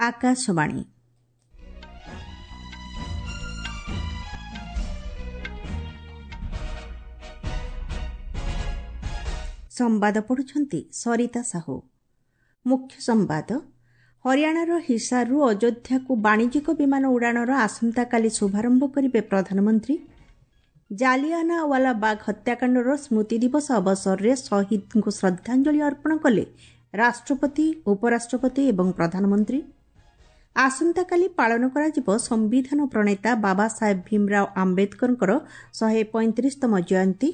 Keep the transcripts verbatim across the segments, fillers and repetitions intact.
ଆକାଶବାଣୀ। ସମ୍ବାଦ ପଢ଼ୁଛନ୍ତି ସରିତା ସାହୁ। ମୁଖ୍ୟ ସମ୍ବାଦ। ହରିୟାଣାର ହିସାରରୁ ଅଯୋଧ୍ୟାକୁ ବାଣିଜ୍ୟିକ ବିମାନ ଉଡ଼ାଣର ଆସନ୍ତାକାଲି ଶୁଭାରମ୍ଭ କରିବେ ପ୍ରଧାନମନ୍ତ୍ରୀ। ଜାଲିଆନାୱାଲା ବାଗ ହତ୍ୟାକାଣ୍ଡର ସ୍ମୃତି ଦିବସ ଅବସରରେ ଶହୀଦଙ୍କୁ ଶ୍ରଦ୍ଧାଞ୍ଜଳି ଅର୍ପଣ କଲେ ରାଷ୍ଟ୍ରପତି, ଉପରାଷ୍ଟ୍ରପତି ଏବଂ ପ୍ରଧାନମନ୍ତ୍ରୀ। ଆସନ୍ତାକାଲି ପାଳନ କରାଯିବ ସମ୍ବିଧାନ ପ୍ରଣେତା ବାବା ସାହେବ ଭୀମରାଓ ଆମ୍ବେଦକରଙ୍କର ଶହେ ପଇଁତିରିଶତମ ଜୟନ୍ତୀ।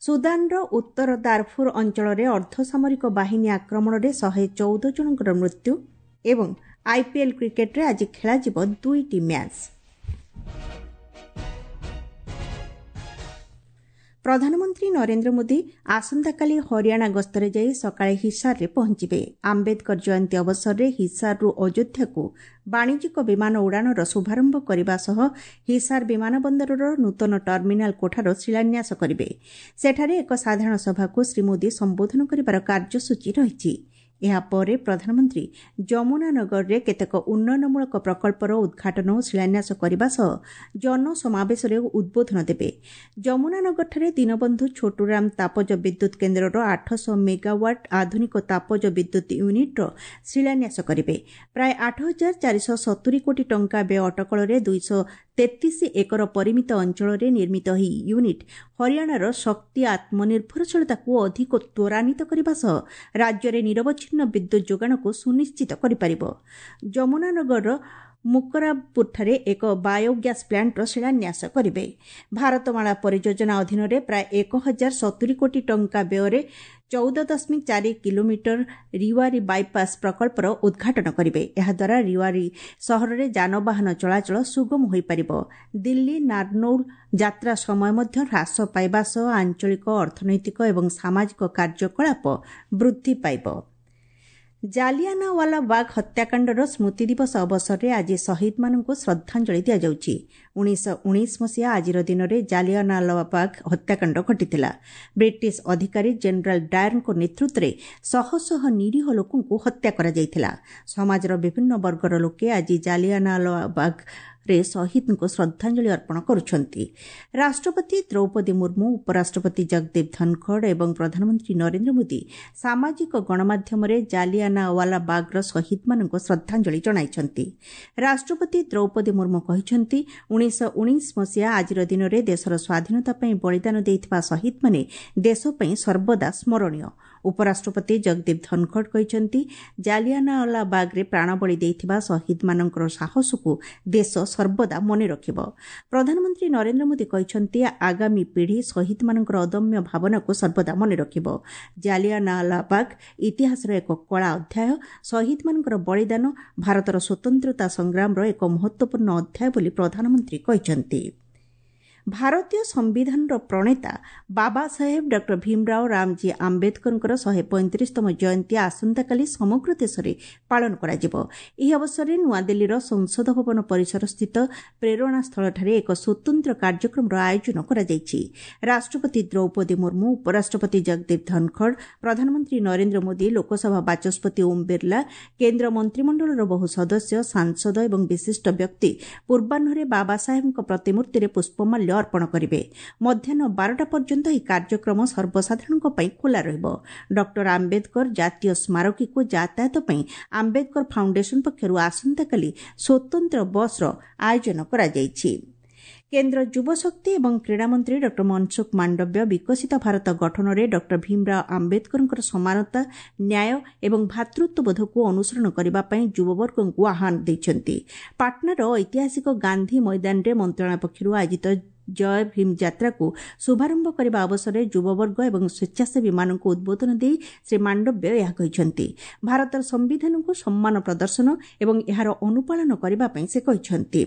ସୁଦାନର ଉତ୍ତର ଦାରଫୁର ଅଞ୍ଚଳରେ ଅର୍ଦ୍ଧସାମରିକ ବାହିନୀ ଆକ୍ରମଣରେ ଶହେ ଚଉଦ ଜଣଙ୍କର ମୃତ୍ୟୁ ଏବଂ ଆଇପିଏଲ୍ କ୍ରିକେଟରେ ଆଜି ଖେଳାଯିବ ଦୁଇଟି ମ୍ୟାଚ୍। ପ୍ରଧାନମନ୍ତ୍ରୀ ନରେନ୍ଦ୍ର ମୋଦି ଆସନ୍ତାକାଲି ହରିୟାଣା ଗସ୍ତରେ ଯାଇ ସକାଳେ ହିସାରରେ ପହଞ୍ଚିବେ। ଆମ୍ବେଦକର ଜୟନ୍ତୀ ଅବସରରେ ହିସାରରୁ ଅଯୋଧ୍ୟାକୁ ବାଣିଜ୍ୟିକ ବିମାନ ଉଡ଼ାଣର ଶୁଭାରମ୍ଭ କରିବା ସହ ହିସାର ବିମାନବନ୍ଦରର ନୂତନ ଟର୍ମିନାଲ କୋଠାର ଶିଳାନ୍ୟାସ କରିବେ। ସେଠାରେ ଏକ ସାଧାରଣ ସଭାକୁ ଶ୍ରୀ ମୋଦି ସମ୍ବୋଧନ କରିବାର କାର୍ଯ୍ୟସୂଚୀ ରହିଛି। ଏହାପରେ ପ୍ରଧାନମନ୍ତ୍ରୀ ଯମୁନାନଗରରେ କେତେକ ଉନ୍ନୟନମୂଳକ ପ୍ରକଳ୍ପର ଉଦ୍ଘାଟନ ଓ ଶିଳାନ୍ୟାସ କରିବା ସହ ଜନସମାବେଶରେ ଉଦ୍ବୋଧନ ଦେବେ। ଯମୁନାନଗରଠାରେ ଦୀନବନ୍ଧୁ ଛୋଟୁରାମ ତାପଜ ବିଦ୍ୟୁତ୍ କେନ୍ଦ୍ରର ଆଠଶହ ମେଗାୱାଟ୍ ଆଧୁନିକ ତାପଜ ବିଦ୍ୟୁତ୍ ୟୁନିଟ୍ର ଶିଳାନ୍ୟାସ କରିବେ। ପ୍ରାୟ ଆଠ ହଜାର ଚାରିଶହ ସତୁରି କୋଟି ଟଙ୍କା ବ୍ୟୟ ଅଟକଳରେ ଦୁଇଶହ ତେତିଶ ଏକର ପରିମିତ ଅଞ୍ଚଳରେ ନିର୍ମିତ ଏହି ୟୁନିଟ୍ ହରିୟାଣାର ଶକ୍ତି ଆତ୍ମନିର୍ଭରଶୀଳତାକୁ ଅଧିକ ତ୍ୱରାନ୍ୱିତ କରିବା ସହ ରାଜ୍ୟରେ ନିରବଚ୍ଛିନ୍ନ ବିଦ୍ୟୁତ୍ ଯୋଗାଣକୁ ସୁନିଶ୍ଚିତ କରିପାରିବ। ଯମୁନାନଗରର ମୁକରାବପୁରଠାରେ ଏକ ବାୟୋଗ୍ୟାସ୍ ପ୍ଲାଣ୍ଟର ଶିଳାନ୍ୟାସ କରିବେ। ଭାରତମାଳା ପରିଯୋଜନା ଅଧୀନରେ ପ୍ରାୟ ଏକ ହଜାର ସତୁରି କୋଟି ଟଙ୍କା ବ୍ୟୟରେ ଚଉଦ ଦଶମିକ ଚାରି କିଲୋମିଟର ରିୱାରୀ ବାଇପାସ୍ ପ୍ରକଳ୍ପର ଉଦ୍ଘାଟନ କରିବେ। ଏହାଦ୍ୱାରା ରିୱାରୀ ସହରରେ ଯାନବାହନ ଚଳାଚଳ ସୁଗମ ହୋଇପାରିବ। ଦିଲ୍ଲୀ ନାର୍ନୌଲ ଯାତ୍ରା ସମୟ ମଧ୍ୟ ହ୍ରାସ ପାଇବା ସହ ଆଞ୍ଚଳିକ ଅର୍ଥନୈତିକ ଏବଂ ସାମାଜିକ କାର୍ଯ୍ୟକଳାପ ବୃଦ୍ଧି ପାଇବ। ଜାଲିଆନାୱାଲା ବାଗ ହତ୍ୟାକାଣ୍ଡର ସ୍ମୃତି ଦିବସ ଅବସରରେ ଆଜି ଶହୀଦମାନଙ୍କୁ ଶ୍ରଦ୍ଧାଞ୍ଜଳି ଦିଆଯାଉଛି। ଉଣେଇଶହ ଉଣେଇଶ ମସିହା ଆଜିର ଦିନରେ ଜାଲିଆନାୱାଲାବାଗ ହତ୍ୟାକାଣ୍ଡ ଘଟିଥିଲା। ବ୍ରିଟିଶ ଅଧିକାରୀ ଜେନେରାଲ ଡାୟରଙ୍କ ନେତୃତ୍ୱରେ ଶହ ଶହ ନିରୀହ ଲୋକଙ୍କୁ ହତ୍ୟା କରାଯାଇଥିଲା। ସମାଜର ବିଭିନ୍ନ ବର୍ଗର ଲୋକେ ଆଜି ଜାଲିଆନାୱାଲାବାଗ ରେ ଶହୀଦଙ୍କୁ ଶ୍ରଦ୍ଧାଞ୍ଜଳି ଅର୍ପଣ କରୁଛନ୍ତି। ରାଷ୍ଟ୍ରପତି ଦ୍ରୌପଦୀ ମୁର୍ମୁ, ଉପରାଷ୍ଟ୍ରପତି ଜଗଦୀପ ଧନଖଡ଼ ଏବଂ ପ୍ରଧାନମନ୍ତ୍ରୀ ନରେନ୍ଦ୍ର ମୋଦି ସାମାଜିକ ଗଣମାଧ୍ୟମରେ ଜାଲିଆନାୱାଲା ବାଗ୍ର ଶହୀଦମାନଙ୍କୁ ଶ୍ରଦ୍ଧାଞ୍ଜଳି ଜଣାଇଛନ୍ତି। ରାଷ୍ଟ୍ରପତି ଦ୍ରୌପଦୀ ମୁର୍ମୁ କହିଛନ୍ତି, ଉଣେଇଶହ ଉଣେଇଶ ମସିହା ଆଜିର ଦିନରେ ଦେଶର ସ୍ୱାଧୀନତା ପାଇଁ ବଳିଦାନ ଦେଇଥିବା ଶହୀଦମାନେ ଦେଶ ପାଇଁ ସର୍ବଦା ସ୍ମରଣୀୟ। ଉପରାଷ୍ଟ୍ରପତି ଜଗଦୀପ ଧନଖଡ଼ କହିଛନ୍ତି, ଜାଲିଆନାୱାଲା ବାଗ୍ରେ ପ୍ରାଣବଳି ଦେଇଥିବା ଶହୀଦମାନଙ୍କର ସାହସକୁ ଦେଶ ସର୍ବଦା ମନେ ରଖିବ। ପ୍ରଧାନମନ୍ତ୍ରୀ ନରେନ୍ଦ୍ର ମୋଦି କହିଛନ୍ତି, ଆଗାମୀ ପିଢ଼ି ଶହୀଦମାନଙ୍କର ଅଦମ୍ୟ ଭାବନାକୁ ସର୍ବଦା ମନେ ରଖିବ। ଜାଲିଆନାୱାଲାବାଗ ଇତିହାସର ଏକ କଳା ଅଧ୍ୟାୟ। ଶହୀଦମାନଙ୍କର ବଳିଦାନ ଭାରତର ସ୍ୱତନ୍ତ୍ରତା ସଂଗ୍ରାମର ଏକ ମହତ୍ୱପୂର୍ଣ୍ଣ ଅଧ୍ୟାୟ ବୋଲି ପ୍ରଧାନମନ୍ତ୍ରୀ କହିଛନ୍ତି। ଭାରତୀୟ ସମ୍ବିଧାନର ପ୍ରଣେତା ବାବା ସାହେବ ଡକ୍ଟର ଭୀମରାଓ ରାମଜୀ ଆମ୍ବେଦକରଙ୍କର ଶହେ ପଇଁତିରିଶତମ ଜୟନ୍ତୀ ଆସନ୍ତାକାଲି ସମଗ୍ର ଦେଶରେ ପାଳନ କରାଯିବ। ଏହି ଅବସରରେ ନୂଆଦିଲ୍ଲୀର ସଂସଦ ଭବନ ପରିସରସ୍ଥିତ ପ୍ରେରଣାସ୍ଥଳଠାରେ ଏକ ସ୍ୱତନ୍ତ୍ର କାର୍ଯ୍ୟକ୍ରମର ଆୟୋଜନ କରାଯାଇଛି। ରାଷ୍ଟ୍ରପତି ଦ୍ରୌପଦୀ ମୁର୍ମୁ, ଉପରାଷ୍ଟ୍ରପତି ଜଗଦୀପ ଧନଖଡ଼, ପ୍ରଧାନମନ୍ତ୍ରୀ ନରେନ୍ଦ୍ର ମୋଦି, ଲୋକସଭା ବାଚସ୍ପତି ଓମ୍ ବିର୍ଲା, କେନ୍ଦ୍ର ମନ୍ତ୍ରିମଣ୍ଡଳର ବହୁ ସଦସ୍ୟ, ସାଂସଦ ଏବଂ ବିଶିଷ୍ଟ ବ୍ୟକ୍ତି ପୂର୍ବାହ୍ନରେ ବାବା ସାହେବଙ୍କ ପ୍ରତିମୂର୍ତ୍ତିରେ ପୁଷ୍ପମାଲ୍ୟ ଅର୍ପଣ କରିବେ। ମଧ୍ୟାହ୍ନ ବାରଟା ପର୍ଯ୍ୟନ୍ତ ଏହି କାର୍ଯ୍ୟକ୍ରମ ସର୍ବସାଧାରଣଙ୍କ ପାଇଁ ଖୋଲା ରହିବ। ଡକ୍ଟର ଆମ୍ବେଦକର ଜାତୀୟ ସ୍ମାରକୀକୁ ଯାତାୟାତ ପାଇଁ ଆମ୍ବେଦକର ଫାଉଣ୍ଡେସନ ପକ୍ଷରୁ ଆସନ୍ତାକାଲି ସ୍ୱତନ୍ତ୍ର ବସ୍ର ଆୟୋଜନ କରାଯାଇଛି। କେନ୍ଦ୍ର ଯୁବଶକ୍ତି ଏବଂ କ୍ରୀଡ଼ାମନ୍ତ୍ରୀ ଡକ୍ଟର ମନସୁଖ ମାଣ୍ଡବ୍ୟ ବିକଶିତ ଭାରତ ଗଠନରେ ଡକ୍ଟର ଭୀମରାଓ ଆମ୍ବେଦକରଙ୍କର ସମାନତା, ନ୍ୟାୟ ଏବଂ ଭ୍ରାତୃତ୍ୱବୋଧକୁ ଅନୁସରଣ କରିବା ପାଇଁ ଯୁବବର୍ଗଙ୍କୁ ଆହ୍ୱାନ ଦେଇଛନ୍ତି। ପାଟନାର ଐତିହାସିକ ଗାନ୍ଧି ମଇଦାନରେ ମନ୍ତ୍ରଣାଳୟ ପକ୍ଷରୁ ଆୟୋଜିତ ଜୟ ଭୀମ ଯାତ୍ରାକୁ ଶୁଭାରମ୍ଭ କରିବା ଅବସରରେ ଯୁବବର୍ଗ ଏବଂ ସ୍ୱେଚ୍ଛାସେବୀମାନଙ୍କୁ ଉଦ୍ବୋଧନ ଦେଇ ଶ୍ରୀ ମାଣ୍ଡବ୍ୟ ଏହା କହିଛନ୍ତି। ଭାରତର ସମ୍ବିଧାନକୁ ସମ୍ମାନ ପ୍ରଦର୍ଶନ ଏବଂ ଏହାର ଅନୁପାଳନ କରିବା ପାଇଁ ସେ କହିଛନ୍ତି।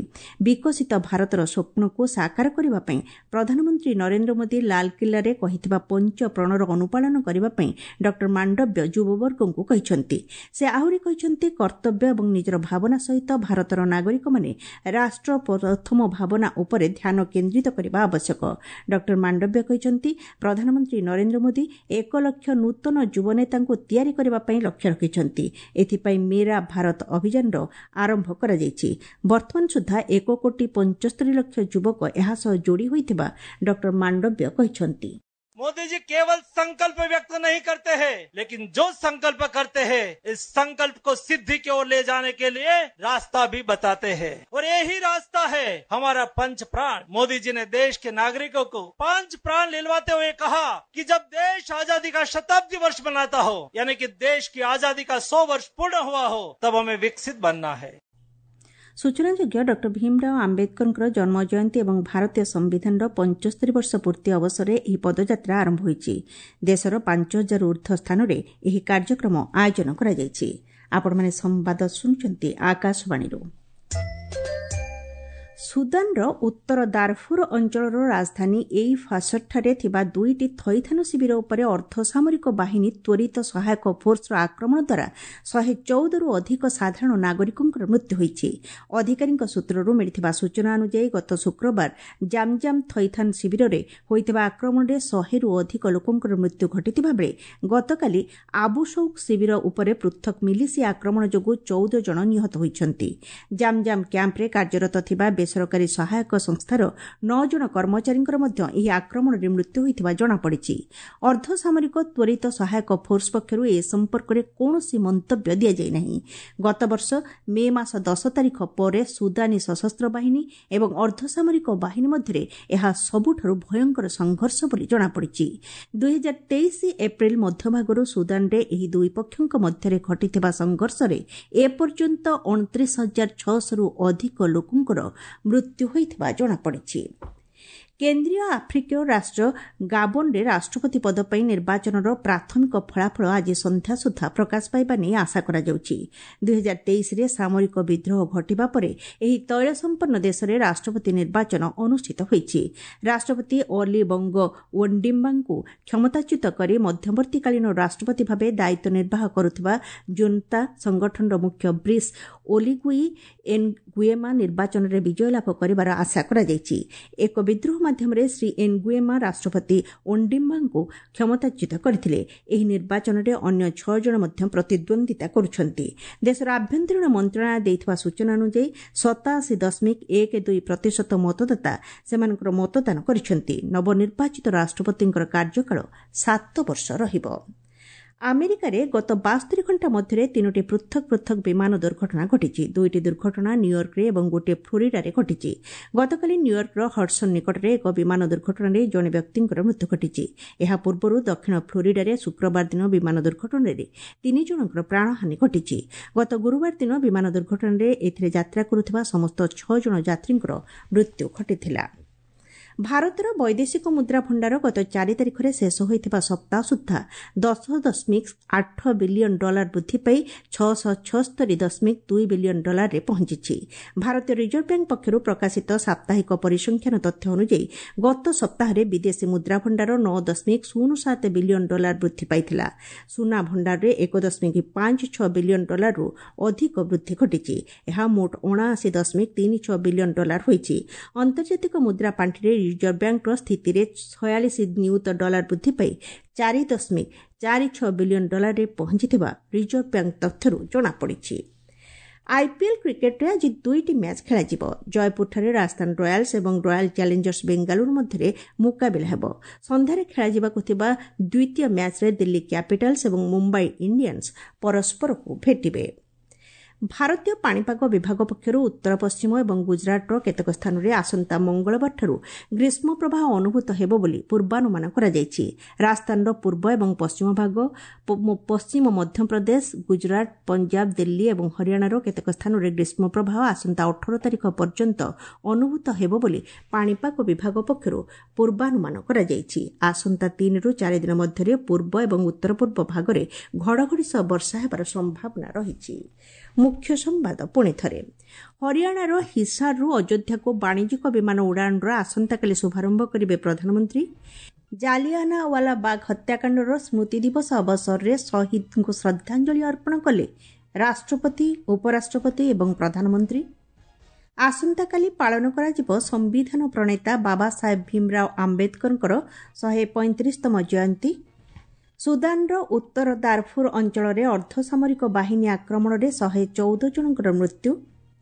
ବିକଶିତ ଭାରତର ସ୍ୱପ୍ନକୁ ସାକାର କରିବା ପାଇଁ ପ୍ରଧାନମନ୍ତ୍ରୀ ନରେନ୍ଦ୍ର ମୋଦି ଲାଲକିଲ୍ଲାରେ କହିଥିବା ପଞ୍ଚ ପ୍ରଣର ଅନୁପାଳନ କରିବା ପାଇଁ ଡକ୍ଟର ମାଣ୍ଡବ୍ୟ ଯୁବବର୍ଗଙ୍କୁ କହିଛନ୍ତି। ସେ ଆହୁରି କହିଛନ୍ତି, କର୍ତ୍ତବ୍ୟ ଏବଂ ନିଜର ଭାବନା ସହିତ ଭାରତର ନାଗରିକମାନେ ରାଷ୍ଟ୍ର ପ୍ରଥମ ଭାବନା ଉପରେ ଧ୍ୟାନ କେନ୍ଦ୍ରିତ କରିବା ଆବଶ୍ୟକ। ଡକ୍ଟର ମାଣ୍ଡବ୍ୟ କହିଛନ୍ତି, ପ୍ରଧାନମନ୍ତ୍ରୀ ନରେନ୍ଦ୍ର ମୋଦି ଏକ ଲକ୍ଷ ନୂତନ ଯୁବନେତାଙ୍କୁ ତିଆରି କରିବା ପାଇଁ ଲକ୍ଷ୍ୟ ରଖିଛନ୍ତି। ଏଥିପାଇଁ ମେରା ଭାରତ ଅଭିଯାନର ଆରମ୍ଭ କରାଯାଇଛି। ବର୍ତ୍ତମାନ ସୁଦ୍ଧା ଏକ କୋଟି ପଞ୍ଚସ୍ତରୀ ଲକ୍ଷ ଯୁବକ ଏହା ସହ ଯୋଡ଼ି ହୋଇଥିବା ଡକ୍ଟର ମାଣ୍ଡବ୍ୟ କହିଛନ୍ତି। मोदी जी केवल संकल्प व्यक्त नहीं करते हैं, लेकिन जो संकल्प करते हैं इस संकल्प को सिद्धि की ओर ले जाने के लिए रास्ता भी बताते हैं और यही रास्ता है हमारा पंच प्राण। मोदी जी ने देश के नागरिकों को पांच प्राण दिलवाते हुए कहा कि जब देश आजादी का शताब्दी वर्ष मनाता हो, यानी कि देश की आजादी का सौ वर्ष पूर्ण हुआ हो, तब हमें विकसित बनना है। ସୂଚନାଯୋଗ୍ୟ, ଡକ୍ଟର ଭୀମରାଓ ଆମ୍ବେଦକରଙ୍କର ଜନ୍ମ ଜୟନ୍ତୀ ଏବଂ ଭାରତୀୟ ସମ୍ବିଧାନର ପଞ୍ଚସ୍ତରୀ ବର୍ଷ ପୂର୍ତ୍ତି ଅବସରରେ ଏହି ପଦଯାତ୍ରା ଆରମ୍ଭ ହୋଇଛି। ଦେଶର ପାଞ୍ଚ ହଜାରରୁ ଉର୍ଦ୍ଧ୍ୱ ସ୍ଥାନରେ ଏହି କାର୍ଯ୍ୟକ୍ରମ ଆୟୋଜନ କରାଯାଇଛି। ଆପଣମାନେ ସମ୍ବାଦ ଶୁଣୁଛନ୍ତି ଆକାଶବାଣୀରୁ। ସୁଦାନର ଉତ୍ତର ଦାରଫୁର ଅଞ୍ଚଳର ରାଜଧାନୀ ଏଇ ଫାସରଠାରେ ଥିବା ଦୁଇଟି ଥଇଥାନ ଶିବିର ଉପରେ ଅର୍ଦ୍ଧସାମରିକ ବାହିନୀ ତ୍ୱରିତ ସହାୟକ ଫୋର୍ସର ଆକ୍ରମଣ ଦ୍ୱାରା ଶହେ ଚଉଦରୁ ଅଧିକ ସାଧାରଣ ନାଗରିକଙ୍କର ମୃତ୍ୟୁ ହୋଇଛି। ଅଧିକାରୀଙ୍କ ସୂତ୍ରରୁ ମିଳିଥିବା ସୂଚନା ଅନୁଯାୟୀ, ଗତ ଶୁକ୍ରବାର ଜାମଜାମ ଥଇଥାନ ଶିବିରରେ ହୋଇଥିବା ଆକ୍ରମଣରେ ଶହେରୁ ଅଧିକ ଲୋକଙ୍କର ମୃତ୍ୟୁ ଘଟିଥିବା ବେଳେ ଗତକାଲି ଆବୁସୌକ ଶିବିର ଉପରେ ପୃଥକ ମିଲିସିଆ ଆକ୍ରମଣ ଯୋଗୁଁ ଚଉଦ ଜଣ ନିହତ ହୋଇଛନ୍ତି। ଜାମଜାମ କ୍ୟାମ୍ପରେ କାର୍ଯ୍ୟରତ ଥିବା ବେସରକାରୀ ସହାୟକ ସଂସ୍ଥାର ନଅ ଜଣ କର୍ମଚାରୀଙ୍କର ମଧ୍ୟ ଏହି ଆକ୍ରମଣରେ ମୃତ୍ୟୁ ହୋଇଥିବା ଜଣାପଡ଼ିଛି। ଅର୍ଦ୍ଧସାମରିକ ତ୍ୱରିତ ସହାୟକ ଫୋର୍ସ ପକ୍ଷରୁ ଏ ସମ୍ପର୍କରେ କୌଣସି ମନ୍ତବ୍ୟ ଦିଆଯାଇ ନାହିଁ। ଗତବର୍ଷ ମେ ମାସ ଦଶ ତାରିଖ ପରେ ସୁଦାନୀ ସଶସ୍ତ୍ର ବାହିନୀ ଏବଂ ଅର୍ଦ୍ଧସାମରିକ ବାହିନୀ ମଧ୍ୟରେ ଏହା ସବୁଠାରୁ ଭୟଙ୍କର ସଂଘର୍ଷ ବୋଲି ଜଣାପଡ଼ିଛି। ଦୁଇହଜାର ତେଇଶ ଏପ୍ରିଲ ମଧ୍ୟଭାଗରୁ ସୁଦାନରେ ଏହି ଦୁଇ ପକ୍ଷଙ୍କ ମଧ୍ୟରେ ଘଟିଥିବା ସଂଘର୍ଷରେ ଏପର୍ଯ୍ୟନ୍ତ ଅଣତିରିଶ ହଜାର ଛଅଶହରୁ ଅଧିକ ଲୋକଙ୍କର ମୃତ୍ୟୁ ହୋଇଥିବା ଜଣାପଡ଼ିଛି। କେନ୍ଦ୍ରୀୟ ଆଫ୍ରିକୀୟ ରାଷ୍ଟ୍ର ଗାବନରେ ରାଷ୍ଟ୍ରପତି ପଦ ପାଇଁ ନିର୍ବାଚନର ପ୍ରାଥମିକ ଫଳାଫଳ ଆଜି ସନ୍ଧ୍ୟା ସୁଦ୍ଧା ପ୍ରକାଶ ପାଇବା ନେଇ ଆଶା କରାଯାଉଛି। ଦୁଇହଜାର ତେଇଶରେ ସାମରିକ ବିଦ୍ରୋହ ଘଟିବା ପରେ ଏହି ତୈଳ ସମ୍ପନ୍ନ ଦେଶରେ ରାଷ୍ଟ୍ରପତି ନିର୍ବାଚନ ଅନୁଷ୍ଠିତ ହୋଇଛି। ରାଷ୍ଟ୍ରପତି ଅଲି ବଙ୍ଗ ଓଣ୍ଡିମ୍ବାଙ୍କୁ କ୍ଷମତାଚ୍ୟୁତ କରି ମଧ୍ୟବର୍ତ୍ତୀକାଳୀନ ରାଷ୍ଟ୍ରପତି ଭାବେ ଦାୟିତ୍ୱ ନିର୍ବାହ କରୁଥିବା ଜୁନ୍ତା ସଂଗଠନର ମୁଖ୍ୟ ବ୍ରିସ୍ ଓଲିଗୁଇ ଏନଗୁଏମା ନିର୍ବାଚନରେ ବିଜୟ ଲାଭ କରିବାର ଆଶା କରାଯାଇଛି। ଏକ ବିଦ୍ରୋହ ମାଧ୍ୟମରେ ଶ୍ରୀ ଏନଗୁଏମା ରାଷ୍ଟ୍ରପତି ଓଣ୍ଡିମ୍ବାଙ୍କୁ କ୍ଷମତାଚ୍ୟୁତ କରିଥିଲେ। ଏହି ନିର୍ବାଚନରେ ଅନ୍ୟ ଛଅ ଜଣ ମଧ୍ୟ ପ୍ରତିଦ୍ୱନ୍ଦ୍ୱିତା କରୁଛନ୍ତି। ଦେଶର ଆଭ୍ୟନ୍ତରୀଣ ମନ୍ତ୍ରଣାଳୟ ଦେଇଥିବା ସୂଚନା ଅନୁଯାୟୀ, ସତାଅଶୀ ଦଶମିକ ଏକ ଦୁଇ ପ୍ରତିଶତ ମତଦାତା ସେମାନଙ୍କର ମତଦାନ କରିଛନ୍ତି। ନବନିର୍ବାଚିତ ରାଷ୍ଟ୍ରପତିଙ୍କର କାର୍ଯ୍ୟକାଳ ସାତ ବର୍ଷ ରହିବ। ଆମେରିକାରେ ଗତ ବାସ୍ତରି ଘଣ୍ଟା ମଧ୍ୟରେ ତିନୋଟି ପୃଥକ ପୃଥକ ବିମାନ ଦୁର୍ଘଟଣା ଘଟିଛି। ଦୁଇଟି ଦୁର୍ଘଟଣା ନ୍ୟୁୟର୍କରେ ଏବଂ ଗୋଟିଏ ଫ୍ଲୋରିଡାରେ ଘଟିଛି। ଗତକାଲି ନ୍ୟୁୟର୍କର ହଡସନ୍ ନିକଟରେ ଏକ ବିମାନ ଦୁର୍ଘଟଣାରେ ଜଣେ ବ୍ୟକ୍ତିଙ୍କର ମୃତ୍ୟୁ ଘଟିଛି। ଏହା ପୂର୍ବରୁ ଦକ୍ଷିଣ ଫ୍ଲୋରିଡାରେ ଶୁକ୍ରବାର ଦିନ ବିମାନ ଦୁର୍ଘଟଣାରେ ତିନି ଜଣଙ୍କର ପ୍ରାଣହାନି ଘଟିଛି। ଗତ ଗୁରୁବାର ଦିନ ବିମାନ ଦୁର୍ଘଟଣାରେ ଏଥିରେ ଯାତ୍ରା କରୁଥିବା ସମସ୍ତ ଛଅ ଜଣ ଯାତ୍ରୀଙ୍କର ମୃତ୍ୟୁ ଘଟିଥିଲା। ଭାରତର ବୈଦେଶିକ ମୁଦ୍ରା ଭଣ୍ଡାର ଗତ ଚାରି ତାରିଖରେ ଶେଷ ହୋଇଥିବା ସପ୍ତାହ ସୁଦ୍ଧା ଦଶ ଦଶମିକ ଆଠ ବିଲିୟନ ଡଲାର ବୃଦ୍ଧି ପାଇ ଛଅଶହ ଛସ୍ତରୀ ଦଶମିକ ଦୁଇ ବିଲିୟନ ଡଲାରରେ ପହଞ୍ଚିଛି। ଭାରତୀୟ ରିଜର୍ଭ ବ୍ୟାଙ୍କ ପକ୍ଷରୁ ପ୍ରକାଶିତ ସାପ୍ତାହିକ ପରିସଂଖ୍ୟାନ ତଥ୍ୟ ଅନୁଯାୟୀ, ଗତ ସପ୍ତାହରେ ବିଦେଶୀ ମୁଦ୍ରା ଭଣ୍ଡାର ନଅ ଦଶମିକ ଶୂନ ସାତ ବିଲିୟନ ଡଲାର ବୃଦ୍ଧି ପାଇଥିଲା। ସୁନା ଭଣ୍ଡାରରେ ଏକ ଦଶମିକ ପାଞ୍ଚ ଛଅ ବିଲିୟନ ଡଲାରରୁ ଅଧିକ ବୃଦ୍ଧି ଘଟିଛି। ଏହା ମୋଟ ଅଣାଅଶୀ ଦଶମିକ ତିନି ଛଅ ବିଲିୟନ ଡଲାର ହୋଇଛି। ଆନ୍ତର୍ଜାତିକ ମୁଦ୍ରା ପାଣ୍ଠିରେ ରିଜର୍ଭ ବ୍ୟାଙ୍କର ସ୍ଥିତିରେ ଛୟାଳିଶ ନିୟୁତ ଡଲାର ବୃଦ୍ଧି ପାଇ ଚାରି ଦଶମିକ ଚାରି ଛଅ ବିଲିୟନ ଡଲାରରେ ପହଞ୍ଚିଥିବା ରିଜର୍ଭ ବ୍ୟାଙ୍କ ତଥ୍ୟରୁ ଜଣାପଡ଼ିଛି। ଆଇପିଏଲ୍ କ୍ରିକେଟରେ ଆଜି ଦୁଇଟି ମ୍ୟାଚ୍ ଖେଳାଯିବ। ଜୟପୁରଠାରେ ରାଜସ୍ଥାନ ରୟାଲ୍ସ ଏବଂ ରୟାଲ ଚ୍ୟାଲେଞ୍ଜର୍ସ ବେଙ୍ଗାଲୁରୁ ମଧ୍ୟରେ ମୁକାବିଲା ହେବ। ସନ୍ଧ୍ୟାରେ ଖେଳାଯିବାକୁ ଥିବା ଦ୍ୱିତୀୟ ମ୍ୟାଚ୍ରେ ଦିଲ୍ଲୀ କ୍ୟାପିଟାଲ୍ସ ଏବଂ ମୁମ୍ବାଇ ଇଣ୍ଡିଆନ୍ସ ପରସ୍ପରକୁ ଭେଟିବେ। ଭାରତୀୟ ପାଣିପାଗ ବିଭାଗ ପକ୍ଷରୁ ଉତ୍ତର ପଶ୍ଚିମ ଏବଂ ଗୁଜରାଟର କେତେକ ସ୍ଥାନରେ ଆସନ୍ତା ମଙ୍ଗଳବାରଠାରୁ ଗ୍ରୀଷ୍ମ ପ୍ରବାହ ଅନୁଭୂତ ହେବ ବୋଲି ପୂର୍ବାନୁମାନ କରାଯାଇଛି। ରାଜସ୍ଥାନର ପୂର୍ବ ଏବଂ ପଶ୍ଚିମ ଭାଗ, ପଶ୍ଚିମ ମଧ୍ୟପ୍ରଦେଶ, ଗୁଜରାଟ, ପଞ୍ଜାବ, ଦିଲ୍ଲୀ ଏବଂ ହରିୟାଣାର କେତେକ ସ୍ଥାନରେ ଗ୍ରୀଷ୍ମ ପ୍ରବାହ ଆସନ୍ତା ଅଠର ତାରିଖ ପର୍ଯ୍ୟନ୍ତ ଅନୁଭୂତ ହେବ ବୋଲି ପାଣିପାଗ ବିଭାଗ ପକ୍ଷରୁ ପୂର୍ବାନୁମାନ କରାଯାଇଛି। ଆସନ୍ତା ତିନିରୁ ଚାରି ଦିନ ମଧ୍ୟରେ ପୂର୍ବ ଏବଂ ଉତ୍ତର ପୂର୍ବ ଭାଗରେ ଘଡ଼ଘଡ଼ି ସହ ବର୍ଷା ହେବାର ସମ୍ଭାବନା ରହିଛି। ମୁଖ୍ୟ ସମ୍ବାଦ ପୁଣି ଥରେ। ହରିୟାଣାର ହିସାରରୁ ଅଯୋଧ୍ୟାକୁ ବାଣିଜ୍ୟିକ ବିମାନ ଉଡ଼ାଣର ଆସନ୍ତାକାଲି ଶୁଭାରମ୍ଭ କରିବେ ପ୍ରଧାନମନ୍ତ୍ରୀ। ଜାଲିଆନାୱାଲା ବାଗ ହତ୍ୟାକାଣ୍ଡର ସ୍ମୃତି ଦିବସ ଅବସରରେ ଶହୀଦଙ୍କୁ ଶ୍ରଦ୍ଧାଞ୍ଜଳି ଅର୍ପଣ କଲେ ରାଷ୍ଟ୍ରପତି, ଉପରାଷ୍ଟ୍ରପତି ଏବଂ ପ୍ରଧାନମନ୍ତ୍ରୀ। ଆସନ୍ତାକାଲି ପାଳନ କରାଯିବ ସମ୍ବିଧାନ ପ୍ରଣେତା ବାବା ସାହେବ ଭୀମରାଓ ଆମ୍ବେଦକରଙ୍କର ଶହେ ପଇଁତିରିଶତମ ଜୟନ୍ତୀ। ସୁଦାନର ଉତ୍ତର ଦାରଫୁର ଅଞ୍ଚଳରେ ଅର୍ଦ୍ଧସାମରିକ ବାହିନୀ ଆକ୍ରମଣରେ ଶହେ ଚଉଦ ଜଣଙ୍କର ମୃତ୍ୟୁ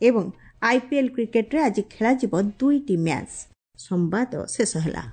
ଏବଂ ଆଇପିଏଲ୍ କ୍ରିକେଟ୍ରେ ଆଜି ଖେଳାଯିବ ଦୁଇଟି ମ୍ୟାଚ୍। ସମ୍ବାଦ ଶେଷ ହେଲା।